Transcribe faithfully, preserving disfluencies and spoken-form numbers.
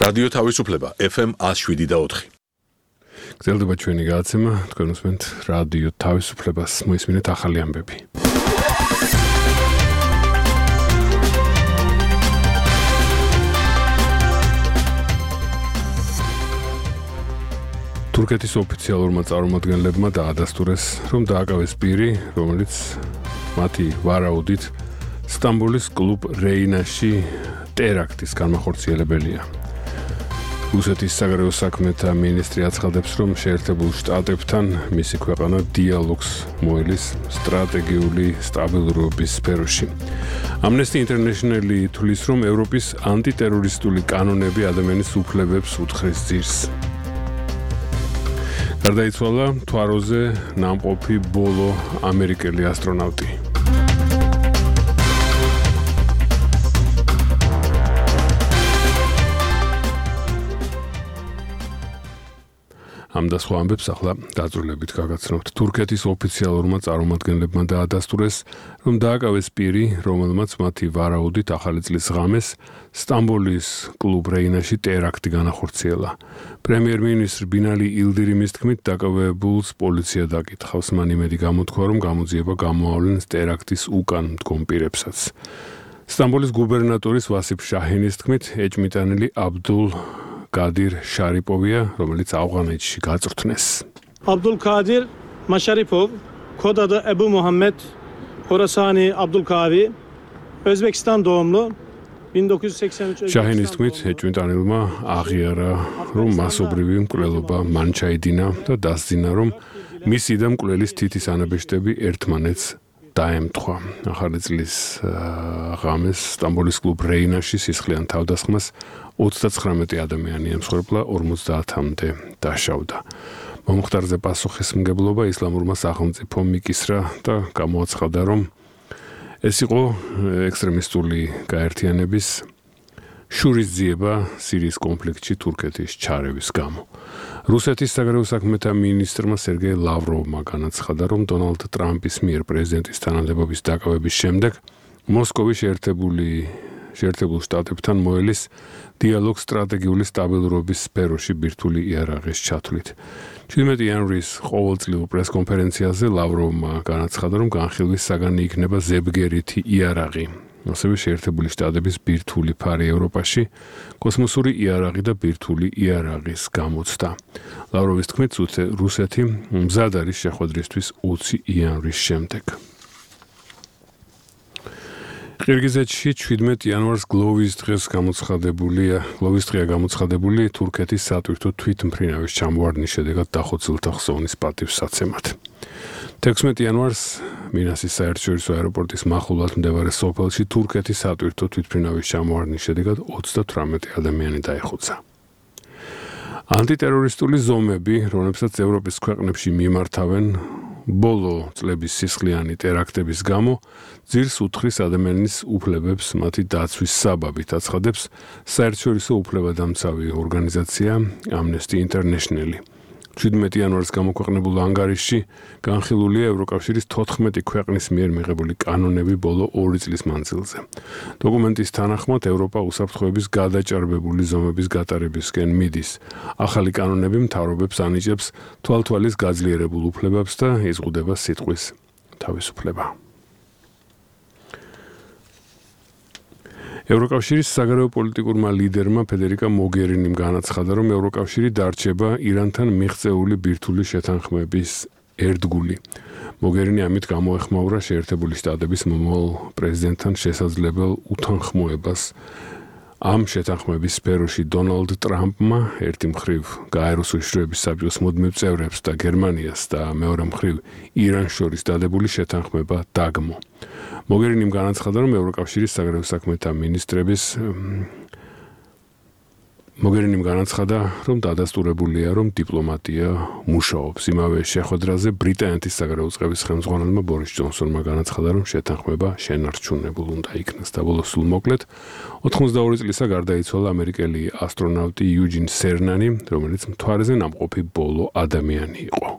რადიო თავისუფლება ეფ ემ one oh seven და four. გრძელდება ჩვენი გადაცემა, თქვენ უსმენთ რადიო თავისუფლებას, მოისმინეთ ახალი ამბები. თურქეთის ოფიციალურმა წარმომადგენლებმა დაადასტურეს, რომ დააკავეს პირი, რომელიც მათი ვარაუდით სტამბოლის კლუბ რეინაში ტერაქტის განმახორციელებელია. რუსეთის საგარეო საქმეთა მინისტრი აცხადებს, რომ შეერთებულ შტატებთან მისი ქვეყანა დიალოგს მოელის სტრატეგიული სტაბილურობის სფეროში. Amnesty International თვლის, რომ ევროპის ანტიტერორისტული კანონები ადამიანის უფლებებს უთხრეს ძირს. გარდაიცვალა თვაროზე ნამყოფი ბოლო ამერიკელი ასტრონავტი. ამ და სხვა ამბებს ახლა დაწვრილებით გაგაცნობთ. თურქეთის ოფიციალურმა წარმომადგენლებმა დაადასტურეს, რომ დააკავეს პირი, რომელმაც მათი ვარაუდით ახალი წლის ღამეს სტამბოლის კლუბ რეინაში ტერაქტი განახორციელა. პრემიერ-მინისტრ ბინალი ილდირიმის თქმით, დაკავებულს პოლიცია დაკითხავს. მან იმედი გამოთქვა, რომ გამოძიება გამოავლენს ტერაქტის უკან მდგომ პირებსაც. სტამბოლის გუბერნატორის ვასიფ შაჰინის თქმით, ეჭმიტანილი აბდულ კადირ შარიპოვია, რომელიც ავღანეთში გაწვრთნეს. Abdul Kadir Masharipov, kod adı Ebu Muhammed Horasani Abdulkavi, Özbekistan doğumlu, bin dokuz yüz seksen üç შაჰინის თქმით, ეჭვმიტანილმა აღიარა, რომ მასობრივი მკვლელობა მან ჩაიდინა და დასძინა, რომ მისი და მკვლელის თითის ანაბეჭდები ერთმანეთს დაემთხვა. ახალი წლის ღამეს სტამბოლის კლუბ რეინაში სისხლიან თავდასხმას ოცდაცხრამეტი ადამიანი ემსხვერპლა, ორმოცდაათამდე დაშავდა. მომხდარზე პასუხისმგებლობა ისლამურმა სახელმწიფომ მიკისრა და გამოაცხადა, რომ ეს იყო ექსტრემისტული გაერთიანების შურისძიება სირიის კონფლიქტში თურქეთის ჩარევის გამო. რუსეთის საგარეო საქმეთა მინისტრმა სერგეი ლავროვმა განაცხადა, რომ დონალდ ტრამპის მიერ პრეზიდენტის თანამდებობის დაკავების შემდეგ მოსკოვი შეერთებული შეერთებულ შტატებთან მოელის დიალოგ სტრატეგიული სტაბილურობის სფეროში ბირთვული იარაღის ჩათვლით. შვიდმეტი იანვრის ყოველწლიურ პრესკონფერენციაზე ლავროვმა განაცხადა, რომ განხილვის საგანი იქნება ზებგერითი იარაღი. ასევე შეერთებული შტატების ბირთვული ფარი ევროპაში, კოსმოსური იარაღი და ბირთვული იარაღის გამოცდა. ლავროვის თქმით, რუსეთი მზად არის შეხვედრისთვის ოცი იანვრის შემდეგ. ყირგიზეთში შვიდმეტი იანვარს გლოვის დღეს გამოცხადებულია, გლოვის დღეა გამოცხადებული თურქეთის სატვირთო თვითმფრინავის ჩამოვარდნის შედეგად დახოცილთა ხსოვნის პატივსაცემად. თექვსმეტი იანვარს მინასის საერთაშორისო აეროპორტის მახლობლად მდებარე სოფელში თურქეთის სატვირთო თვითმფრინავის ჩამოვარდნის შედეგად ოცდათვრამეტი ადამიანი დაიხოცა. ანტიტერორისტული ზომები, რომლებსაც ევროპის ქვეყნებში მიმართავენ, ბოლო წლების სისხლიანი ტერაქტების გამო ძირს უთხრის ადამიანის უფლებებს მათი დაცვის საბაბით, აცხადებს საერთაშორისო უფლებადამცავი ორგანიზაცია Amnesty International. შვიდმეტი იანვარს გამოქვეყნებულ ანგარიშში განხილულია ევროკავშირის თოთხმეტი ქვეყნის მიერ მიღებული კანონები ბოლო ორი წლის მანძილზე. დოკუმენტის თანახმად ევროპა უსაფრთხოების გადაჭარბებული ზომების გატარებისკენ მიდის. ახალი კანონები მთავრობებს ანიჭებს თვალთვალის გაძლიერებულ უფლებებს და იზღუდება სიტყვის თავისუფლება. ევროკავშირის საგარეო პოლიტიკურმა ლიდერმა ფედერიკა მოგერინიმ განაცხადა, რომ ევროკავშირი დარჩება ირანთან მიღწეული ბირთვული შეთანხმების ერთგული. მოგერინი ამით გამოეხმაურა შეერთებული შტატების მომავალ პრეზიდენტთან შესაძლებელ უთანხმოებას. ამ შეთანხმების სფეროში დონალდ ტრამპმა ერთი მხრივ გაეროს უშიშროების საბჭოს მუდმივ წევრებს და გერმანიას და მეორე მხრივ ირანს შორის დადებული შეთანხმება დაგმო. მოგერინიმ განაცხადა, რომ ევროკავშირის საგარეო საქმეთა მინისტრების მოგერინიმ განაცხადა, რომ დადასტურებულია, რომ დიპლომატია მუშაობს. იმავე შეხვედრაზე ბრიტანეთის საგარეო წყების ხელმძღვანელმა ბორის ჯონსონმა განაცხადა, რომ შეთანხმება შენარჩუნებულ უნდა იქნას და ბოლოს სულ მოკლედ ოთხმოცდაორი წლისა გარდაიცვალა ამერიკელი ასტრონავტი იუჯინ სერნანი, რომელიც მთვარეზე ნამყოფი ბოლო ადამიანი იყო.